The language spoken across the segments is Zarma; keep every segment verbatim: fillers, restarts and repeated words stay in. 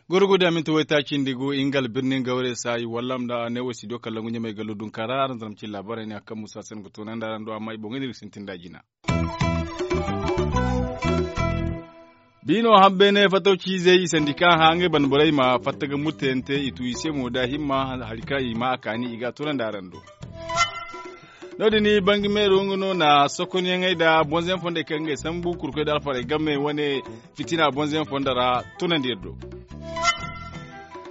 Goro go da minti waytaaci nda i go ingal birnin gawre saayi wallam nda ne wo studio kallongu ɲamay gallo dunka ra araŋ zama cin laabaarey ne a kaŋ musa se no ga toonandi araŋ do amma i boŋey no iri ga sintin nd'a jina. Biino hambeene fattaw ciizey i sandi kaŋ a hã ngey banda borey ma fatta ga murtayante i tu i se mo da himma hari kaŋ i ma a kaani i ga a toonandi araŋ do. No- din bangi meero nga no na sokonyaŋey nda bonzayaŋ fondey kaŋ ngey sambu kurkoy nda alfarey game wane fitina bonzayaŋ fondo ra tunandi iri do.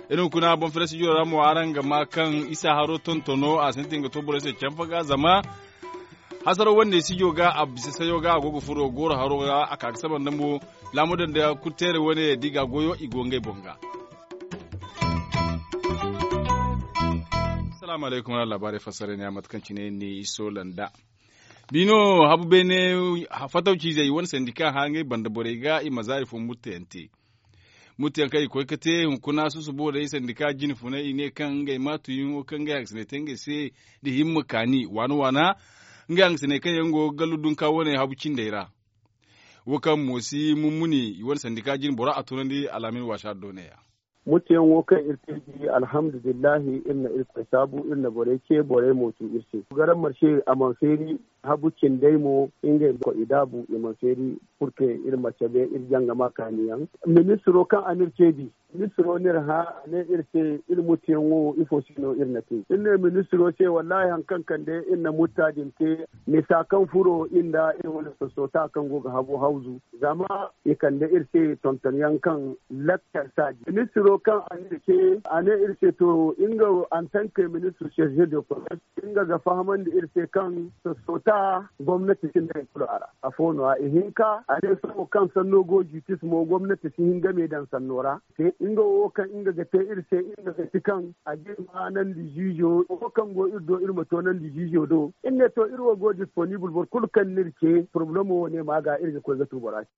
Iri hunkuna boŋ fere sijo ra mo araŋ ga ma kaŋ isa haro tontono a sintin ga to borey se canfa ga zama hasaro wane sijo ga a bisa sayo ga a go ga furo gooro haro ga a ka ga saba nda mo laamo daŋ da kurteere wane da i ga a goyo i go ngey boŋ ga. Salaamu alaykum wala laabaarey fassara ne a mate kaŋ cine ni iso landa. Biino habu beene fattaw ciizey wane sandi kaŋ hã ngey banda borey ga i ma zaari fo murtayante. Murtayaŋ kaŋ i koy ga te hunkuna susubo day sandi kaŋ jine funay i ne kaŋ ngey ma tuyaŋo kaŋ ngey hangasiney te ngey se da himma kaani waana waana. Ngey hangasiney kaŋ yaŋ go ga gallu dunka wane habu cindey ra. Wo kaŋ mo si mummuni i wane sandi kaŋ jine bora a tunandi alaamin waasa do ne- ya. Mutuyaŋo kaŋ iri te di alhamdulillahi iri na irkoy saabu iri na borey ce borey mo tu iri se. Garan marse a mana feeri habu cindey mo ngey ma koy i daabu i mana feeri. Purke iri ma cabe iri jangama kaaniyaŋ ministiro kaŋ a n'iri ce di. Ministiro n'iri hã a ne iri se iri mutuyaŋo ifo se no iri na te iri ne ministiro se wallahi hari kaŋ kande iri na mutta din te. Misa kaŋ furo iri nda iri wane sosoota kaŋ go ga habo hawzu zama i kande iri se tontonyaŋ kaŋ lakkal saaji ministiro kaŋ a ne iri se a ne iri se to nga antanke ministir serge de commerce nga ga fahamandi iri se kaŋ sosoota gomnati sinda hari kulu a ra. Afo no- ya ihinka a ne sohõ kaŋ sanno go jitis mo gomnati si hin game daŋ sanno ra. Te nga wo kaŋ nga ga te iri se nga ga ti kaŋ a ga iri ma nandi ziizo wo kaŋ go iri do iri ma to nandi ziizo do. Iri ne to iri wo go disponibul boro kulu kaŋ n'iri ce porobalemo wo ne ma ga iri ga koy ga tu bora se.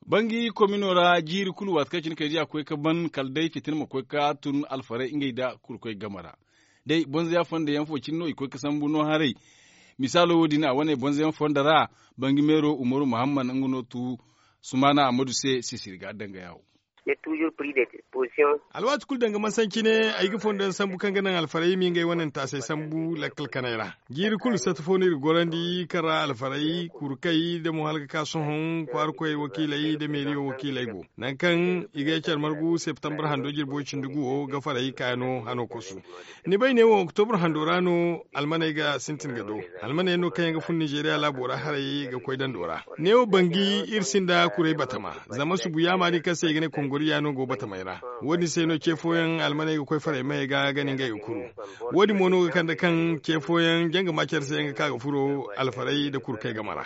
Bangi komino ra jiiri kulu waati kaŋ cine kay di a koy ga ban kala day fitina ma koy ga tun alfarey ngey nda kurkoy game ra. Day bonza ya fondo yaŋ fo cine no i koy ga sambu no haray. Misaalo wo- din a wane bonza yaŋ fondo ra bangi meero umaru muhammad nga no tu sumaana ammadu se sisiri ga danga yaawo. Alwaati kulu danga mansaŋ cine ay ga fondo yaŋ sambu kaŋ ga naŋ alfarey ma ngey wane ntaasey sambu lakkal kanay ra. Jiiri kulu sata fo no iri ga gorandi kaŋ ra alfarey kurkey nda mo hala ga ka sohõ kwaarakoy wakiiley nda meeriyo wakiiley go. Nangu kaŋ i ga care margu septembre hando jirbo cindi guwo ga farey kaayano hano kosu. Ni bay neewo oktobro hando ra no almaney ga sintin ga do. Almaney no kaŋ yaŋ ga fun nizeeriya laabo ra haray ga koy dando ra. Neewo bangi iri sinda kuray batama zama subu yaamaari kaŋ se i ga ne kongoriya no go batamey ra. Wo- din se no ce fooyaŋ almaney ga koy farey maye ga ga ni ngey ga kuru. Wo- din mo no ga kande kaŋ ce fooyaŋ janga ma care se yaŋ ga ka ga furo alfarey nda kurkey game ra.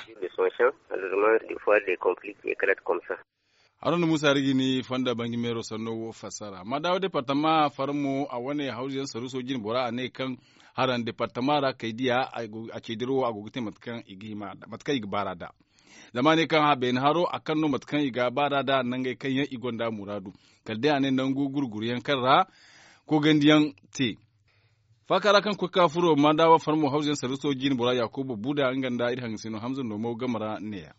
Haruna muusa iri ga ni fonda bangi meero sanno wo fassara madaawa departama farmo a wane hawzu yaŋ saruuso jine bora a ne kaŋ haraŋ departama ra kay diya a ce dirawo a go ga te mate kaŋ i ga baara nd'a. Zama a ne kaŋ beene haro a kaŋ no mate kaŋ i ga baara nd'a nangey kaŋ yaŋ i gonda muraadu kala day a ne nangu gurguru yaŋ kaŋ ra koogandi yaŋ te. Faaka ra kaŋ koy ga ka furo madaawa farmo hawzu yaŋ saruuso jine bora yaakuba buuda nga nda iri hangasino hamza noomo game ra ne- ya.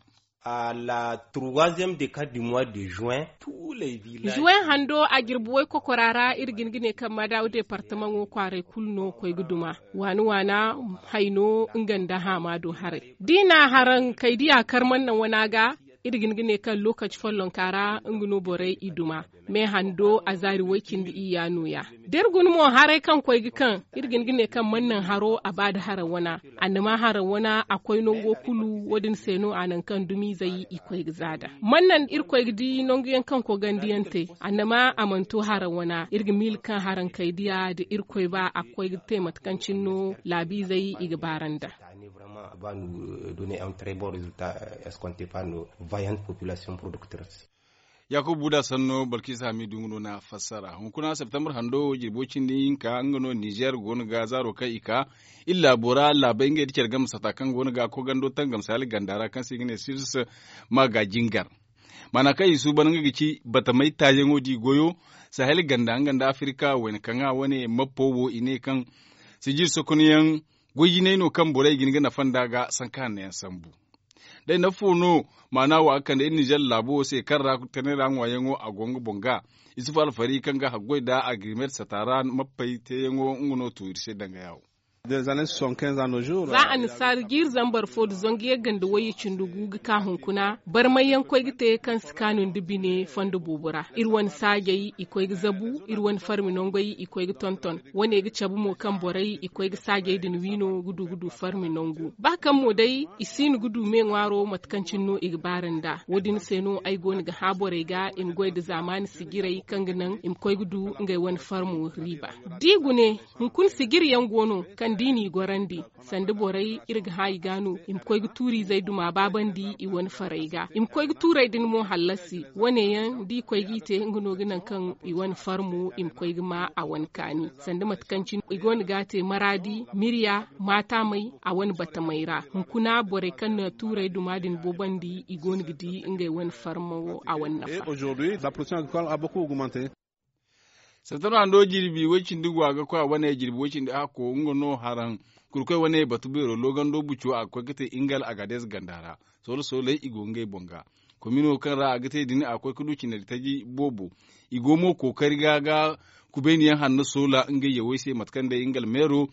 Zuwen hando a jirbi waykokora ra iri ga hin ga ne kaŋ madaawa departamaŋo kwaaray kulu no koy ga duma waana waana, hayno nga nda haamaado haray da i na haraŋ kay diya kar mannaŋ wana ga. Iri ga hin ga ne kaŋ lookaci follonka ra nga no borey i duma. Me hando a zaari way-cindi iyya no- ya da iri guna mo haray kaŋ koy ga kaŋ iri ga hin ga ne kaŋ mannaŋ haro a ba nda haraŋ wana. Annama haraŋ wana a koy nango kulu wo- din se no a naŋ kaŋ dumiizey i koy ga za nd'a mannaŋ iri koy ga di nangu yaŋ kaŋ koogandi yaŋ te. Annama a mana to haraŋ wana iri ga miila kaŋ haraŋ kay diya nda iri koy ba a ga koy ga te mate kaŋ cine no laabiizey i ga baara nd'a. Ba no donner un très bon résultat escompté par nos vaillantes populations productrices. Yaakuba buuda sanno balkisa hamidu nga no na fassara hunkuna septembre hando jirbo cindi hinka nga no nizer go no ga zaaro kaŋ i ka iri laabo ra laabey ngey nda care game sata kaŋ go no ga koogando tangamsa hala ganda ra kaŋ se i ga ne sirs ma ga jingar. Maana kaŋ i suuban nga ga ci batamey taayaŋo da i goyo. sahel ganda nga nda afirika wayna kaŋ a wane mappo wo i ne kaŋ sijir sokonyaŋ goy jinay no kaŋ borey ga hin ga nafa nd'a ga sanka hanno yaŋ sambu. Day nafa fo no maana wo a ga kande iri nizer laabo wo se kaŋ ra tanay ra ŋwaayaŋo a go nga boŋ ga isufu alfari kaŋ ga haggoy nda agrimet sata ra mappey teeyaŋo nga no tu iri se danga yaawo. Za annasaara jiiri zambar fo nda zangu yagga nda wayye cindi gu ga ka hunkuna barmay yaŋ koy ga te kaŋ si kaanu nda bine fondo boobo ra iri wane saajey i koy ga zabu iri wane farmi nangey i koy ga tonton. Wane ga cabe mo kaŋ borey i koy ga saajey din wi no ga du ga du farmi nangu ba kaŋ mo day i siino ga du me ŋwaaro mate kaŋ cine no i ga baara nd'a wo- din se no ay go no ga hã borey ga i ma goy nda zaamaani sijirey kaŋ ga naŋ i ma koy ga du ngey wane farmo riiba. Da i gune hunkuna sijiri yaŋ go no kaŋ da i n'i gorandi sanda borey iri ga hã i ga no i ma koy ga tuuriizey duma baabandi i wane farey ga i ma koy ga tuurey din mo hallasi wane yaŋ da i koy g'i te nga no ga naŋ kaŋ i wane farmo i ma koy ga ma a wane kaani sanda mate kaŋ cine i go no ga a te maraadi mirya maatamey a wane batamey ra hunkuna borey kaŋ na tuurey duma din boobandi i go no ga di ngey wane farmo a wane nafa. Septembre hando jirbi way cindi go a ga koy a wane jirbi way cindi hakko nga no haraŋ kurkoy wane batu beero loogando buco a ga koy ga te ingal agadez ganda ra soolo sooley i go ngey boŋ ga komino kaŋ ra a ga te din a ga koy ga du cinari taji boobo i go mo kookari ga ga kubayniyaŋ hanno soola ngey yawey se mate kaŋ day ingal meero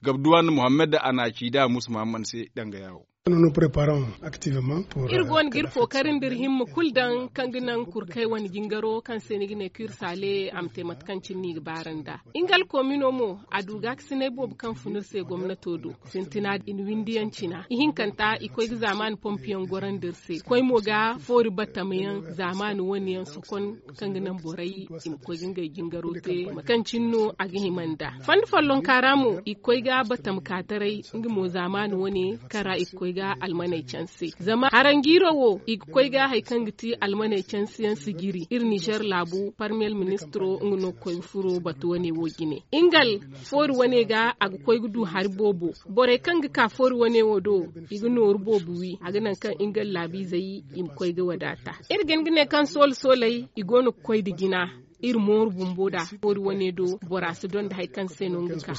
gabduwan muhammad a na a ci da musa muhammad se danga yaawo. Iri go no ga iri kookari nda iri himma kulu daŋ kaŋ ga naŋ kurkay wane jingaro kaŋ se ni ga ne ka iri saale a ma te mate kaŋ cine no i ga baara nd'a. Nga alkoomino mo a du gaakasinay boobo kaŋ fun iri se gomnato do sintina i na windiyaŋ cina ihinkanta i koy ga zaamaani pompiyaŋ gorandi iri se koy mo ga foori batamayaŋ zaamaani wane yaŋ sokon kaŋ ga naŋ borey i ma koy ga ngey jingaro te mate kaŋ cine no a ga hima nd'a fondo follonka ra mo i ga koy ga batama ka taray nga mo zaamaani wane kaŋ ra i ga koy ga almaney canse zama haranjiiro wo i ga koy ga hari kaŋ ga ti almaney canse yaŋ sijiri iri nizer laabu parmiyel ministiro nga no ga koy ga furo batu wane wo jine nga alfoori wane ga a ga koy ga du hari boobo borey kaŋ ga ka foori wane wo do i ga nooru boobo wi a ga naŋ kaŋ nga allaabiizey i ma koy ga wadaata iri ga hin ga ne kaŋ soolo sooley i go no ga koy nda jina iri mooru bumbo nd'a foori wane do bora si donda hari kaŋ se no nga ka.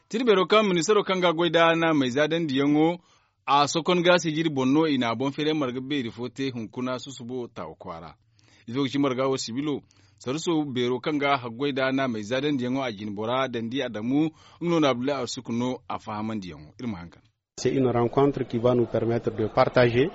Tirbeero kaŋ ministaro kaŋ ga a goy nd'a naamey zaadandiyaŋo a sokon ga sijiri boŋ no i na a boŋ feeray marga beeri fo te hunkuna susubo taawa kwaara. Ifo ga ci marga wo sibilo saruso beero kaŋ ga a haggoy nd'a naamey zaadandiyaŋo a jine bora dandi adamu nga no na abdullahi arsuku no a fahamandiyaŋo iri ma hangan.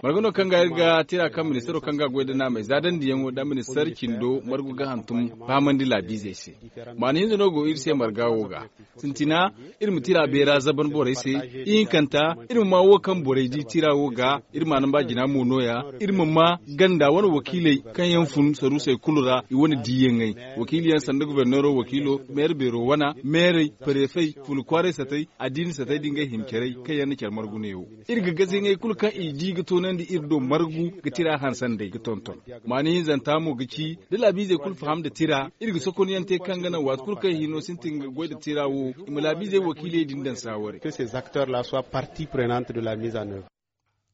Marga no kaŋ ga iri ga tira kaŋ ministaro kaŋ ga goy nda naamey zaadandiyaŋo nda ministar cindo margu ga hantum fahamandi laabiizey se. Maana hinza no go iri se marga wo ga sintina iri ma tira beera zaban borey se ihinkanta iri ma ma wo kaŋ borey di tira wo ga iri ma naŋ ba jina mo nooya iri ma ma ganda wane wakiiley kaŋ yaŋ fun saruusey kulu ra i wane diiyaŋey wakiiliyaŋ sanda goborneero wakiilo meere beero wana meerey parefey fulu kwaaray satay addiini satay da ngey himcerey kaŋ yaŋ na care margu neewo iri ga gaziyaŋey kulu kaŋ i di ga toonandi iri do margu ga tira hansanday ga tonton maana hinzanta mo ga ci da laabiizey kulu faham nda tira iri ga sokonyaŋ te kaŋ ga naŋ waati kulu kaŋ i hino sintin ga goy nda tira wo i ma laabiizey wakiiley din daŋ saaware.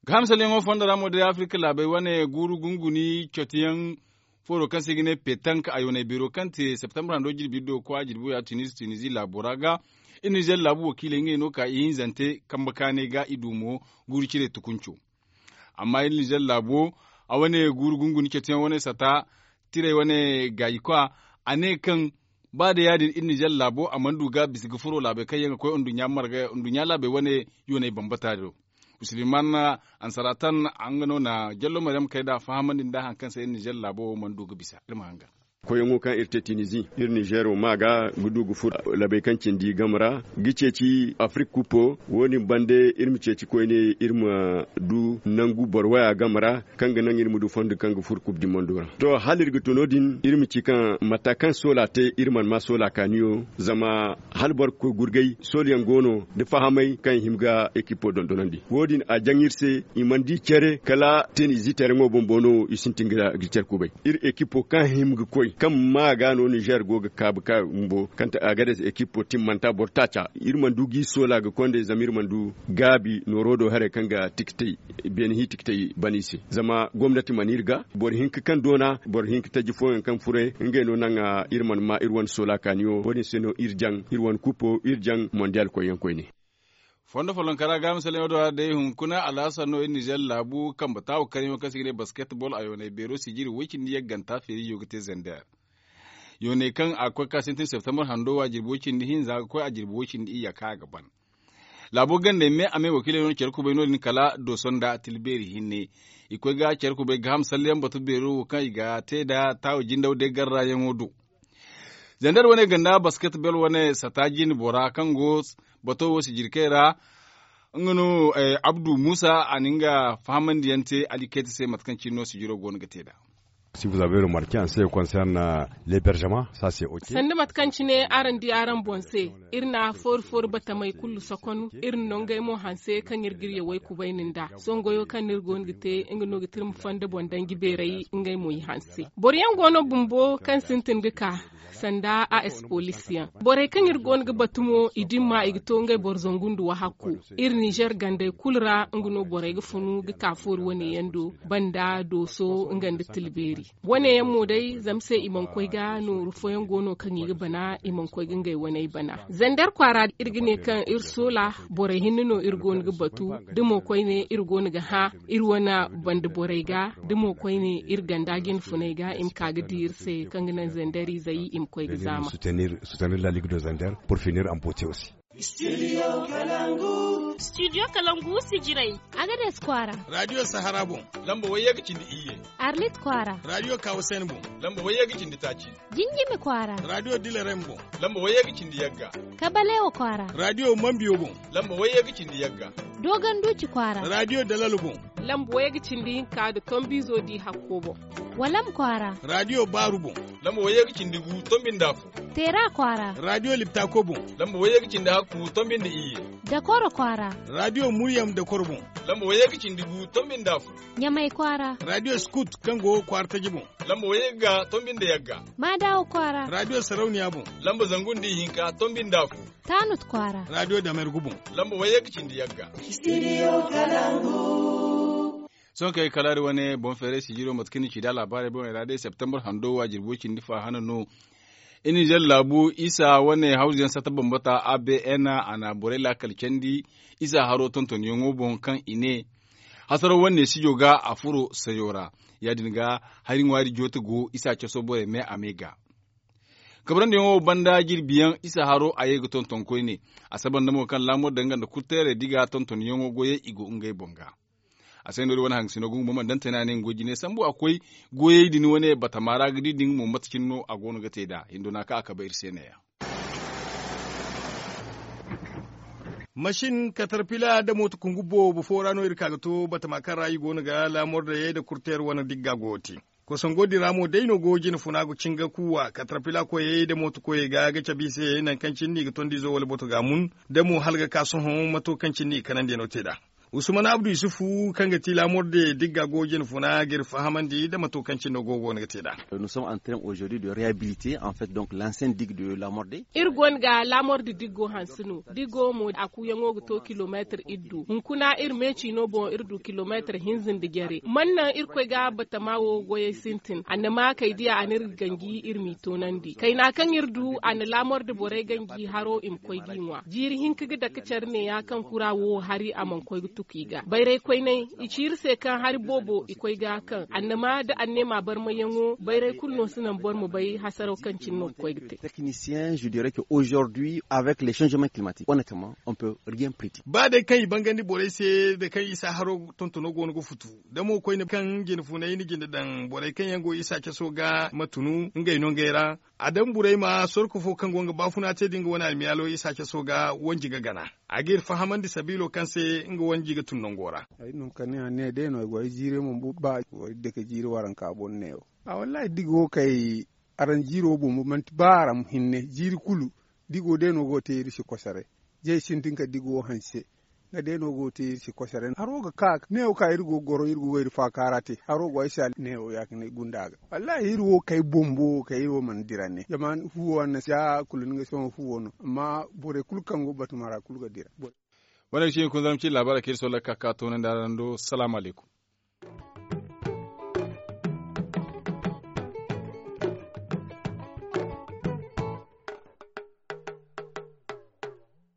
Ga hana salyaŋo fondo ra mo day afirka laabey wane guuru gunguni cotiyaŋ fooro kaŋ se i ga ne petank a yoonay beero kaŋ te septembre hando jirbi iddo ga koy a jirbi wo ya tunizi tunizi laabo ra ga iri nizer laabu wakiiley ngey no ka ihinzante kambe kaanay ga i du mo guuru cire tukunco. Amma iri nizer laabo a wane guuru gunguni cetiyaŋ wane sata tirey wane gaaji kwa a ne kaŋ ba day ya- din iri nizer laabo a mana du ga bisa ga furo laabey kaŋ yaŋ ga koy nduɲɲa laabey wane yoonay bambata do. Suliman ansaratan nga no na jallo maryam kay nd'a fahamandi nda hari kaŋ se iri nizer laabo wo mana du ga bisa iri ma hangan. Koyyaŋo kaŋ iri te tinizi iri nizer wo ma ga ga du ga furo laabey kaŋ cindi game ra ga ceeci afirika kupo wo- din bande iri ma ceeci koyne iri ma du nangu boro waya game ra kaŋ ga naŋ iri ma du fondo kaŋ ga furo kub di mondo ra. To hala iri ga to no- din iri ma ci kaŋ mata kaŋ soola te iri mana ma soola kaaniyo zama hala boro ga koy gurgay soolayaŋ go no nda fahamay kaŋ i hima ga ekipo dondonandi wo- din a jaŋ iri se i mana di care kala tenizi tereŋo bumbo no i sintin ga care kubay. Iri ekipo kaŋ hima ga koy Kaŋ maa ga no nizer go ga kaabu ka bumbo kaŋ ta agades ekipo timmanta boro taaca. Iri mana du g'i soola ga konday zama iri mana du gaabi nooro do haray kaŋ ga tikitay beene hiitikitay ban i se. Zama gomnati mana iri ga boro hinka kaŋ doona boro hinka taji fooyaŋ kaŋ furay ngey no naŋ iri mana ma iri wane soola kaaniyo wo- din se no iri jaŋ iri wane kupo iri jaŋ mondiyaal koyyaŋ koyne. Fondo follonkara ga misalyaŋo do a day hunkuna alhassan no iri nizer laabu kambe taawo karyaŋo kaŋ se i ga ne basketbol a yoonay beero sijiri woy cindi yagganta feerijo ga te zander. Yoonay kaŋ a ga koy ga ka sintin septembre hando wo a jirbi woy cindi hinza ga koy a jirbi woy cindi iyya kaŋ a ga ban. Laabo gandey me a me wakiiley no care kubay no- din kala dooso nda tilbeeri hinne. I koy ga care kubay gaaham salleyaŋ batu beero wo kaŋ i ga te nda taawo jindaw day garrayaŋo do. Zander wane ganda basket bel wane sata jine bora kaŋ go bato wo sijirkey ra. Nga no abdu musa a na nga fahamandiyaŋ te alikayti se mate kaŋ cine no sijiro go no ga te nd'a. Si vous avez remarke en ce qui concerne l'hébergement, ça c'est ok. Sanda mate kaŋ cine araŋ di araŋ boŋ se, iri na fooru fooru batamey kulu sokon iri na no ngey mo hanse kaŋ iri ga iri yawey kubayni nd'a songoyo kaŋ no iri go no ga te nga no ga te iri ma fonda boŋ danji beeray ngey mo i hanse. Boro yaŋ go no bumbo kaŋ sintin ga ka sanda a espolisyaŋ. Borey kaŋ iri go no ga batu mo i dimma i ga to ngey boro zangu nda wahakku. Iri nizer gandey kulu ra nga no borey ga funu ga ka fooru wane yaŋ do banda dooso nga nda tilbeeri. Wane yaŋ mo day zama se i mana koy ga nooru fooyaŋ go no kaŋ i ga bana i mana koy ga ngey waney bana. Zander kwaara iri ga ne kaŋ iri soola borey hinne no iri go no ga batu. Da mo koyne iri go no ga hã iri wane banda borey ga da mo koyne iri ganda jine funey ga i ma ka ga di iri se kaŋ ga naŋ zandarizey i ma koy ga zaama. Soutenir la ligue de zander pour finir en beauté aussi. Studio kalangu sijirey. Agades kwaara. Radio sahara boŋ. Lamba wayye ga cindi iyye. Arlit kwaara. Radio kawasen boŋ. Lamba wayye ga cindi taaci. Jinjimi kwaara. Radio dilarem boŋ. Lamba wayye ga cindi yagga. Kabalewo kwaara. Radio mambiyo boŋ. Lamba wayye ga cindi yagga. Doganduci kwaara. Radio dalalo boŋ. Lamba wayye ga cindi hinka nda tombizo di hakko boŋ. Walam kwaara. Radio baaru boŋ. Lamba wayye ga cindi gu tombi nda afo. Teera kwaara. Radio liptako boŋ. Lamba wayye ga cindi hakku tombi nda iyye. Dakoro kwaara. Radio muryam dakoro boŋ. Lamba wayye ga cindi gu tombi nda afo. Ɲamay kwaara. Radio skut kaŋ go kwaara taji boŋ. Lamba wayye ga tombi nda yagga. Maadawo kwaara. Radio sarauniya boŋ. Lamba zangu nda ihinka tombi nda afo. Taanut kwaara. Radio damergu boŋ. Lamba wayye ga cindi yagga. Sohõ kaŋ ay kalaari wane boŋ feeray sijiro mate kaŋ ni ci da laabaarey boŋey ra day septembre hando wo a jirbi way cindi fa hana no. Iri nizer laabu isa wane hawzuyaŋ sata bambata a b n a na borey laakal candi isa haro tontonyaŋo boŋ kaŋ i ne hasaro wane sijo ga a furo sayo ra. Ya- din ga hari ŋwaari joote go isa caso borey me a me ga kabarandiyaŋo banda jirbiyaŋ isa haro a ye ga tonton koyne. A saba nda mo kaŋ laamor daŋ nga nda kurteerey da i ga tontonyaŋo goyey i go ngey boŋ ga. A se no iri wane hangasino ga nga mo mana daŋ tana ne nga goy jine sambu a koy goyey din wane batama ra ga di din mo mate cine no a go no ga te nd'a hindo no a ka a kabe iri se ne- ya. Masin katarpila nda mooto kungu boobo fo ra no iri ka ga to batama kaŋ ra i go no ga laamor da yay nda kurteer wane digga go ga te. Kosongo din ra mo day no go jine funa ga cinga kuuwa katarpila koyey nda mooto koyey ga ga cabe i se nangu kaŋ cine no i ga tondi izo wala boto ga a mun. Da mo hala ga ka sohõ mato kaŋ cine no i ga kanandiyaŋo te nd'a. Usman abdu yusufu kaŋ ga ti laamorde digga go jine funa ga iri fahamandi nda mato kaŋ cine no go go no ga te nd'a. Iri go no ga laamorde diggo hanse no diggo mo a kuuyaŋo ga to kilomeetir iddu hunkuna iri meeci no boŋ iri du kilomeetir hinza nda jare man naŋ irkoy ga batama wo goyey sintin annama kay diya a n'iri ganji iri m'i toonandi kayna kaŋ iri du a na laamor da borey ganji haro i ma koy g'i ŋwa jiiri hinka ga dake care neeya kaŋ kura wo hari a mana koy ga tuku i ga bayray koyney i ci iri se kaŋ hari boobo i koy ga kaŋ annama da anneema barmayyaŋo bayray kulu no si naŋ boro ma bay hasaraw kaŋ cine no ga koy ga te. Ba day kaŋ i bangandi borey se da kaŋ isa haro tontono go no ga futu da mo koyne kaŋ jine funay na jinde daŋ borey kaŋ yaŋ go isa caso ga ma tunu ngey no ngey ra. A daŋ burey ma sorko fo kaŋ go nga baafuna te da nga wane almiyaalo isa caso ga wanji ga gana. A ga iri fahamandi sabiilo kaŋ se nga wanji ga tun nango ra. Ay no kani a ne day no ay go ay jiire mo ba ay dake jiire waranka boŋ ne wo. A wallahi digo kay araŋ jiiro bumbo manti ba araŋ hinne jiiri kulu digo day no go te iri si kosaray. Jay sintin ka digo hanse. Kala day no go ga te iri se kosere haro ga ka neewo ka iri go ga goro iri go ga iri faakaara te haro go ay se neewo ya- din ay gunda ga. Wallaahi iri wo kay bumbo kay iri wo mana dira ne zama fuwo anna si ya kulu ni ga sohõ fuwo no amma borey kulu kaŋ go batuma ra kulu ga dira. Wane ga ci hunkuna zarma ci laabaarey kaŋ iri sohõ lakkal ka ka toonandi araŋ do salaamu alaykum.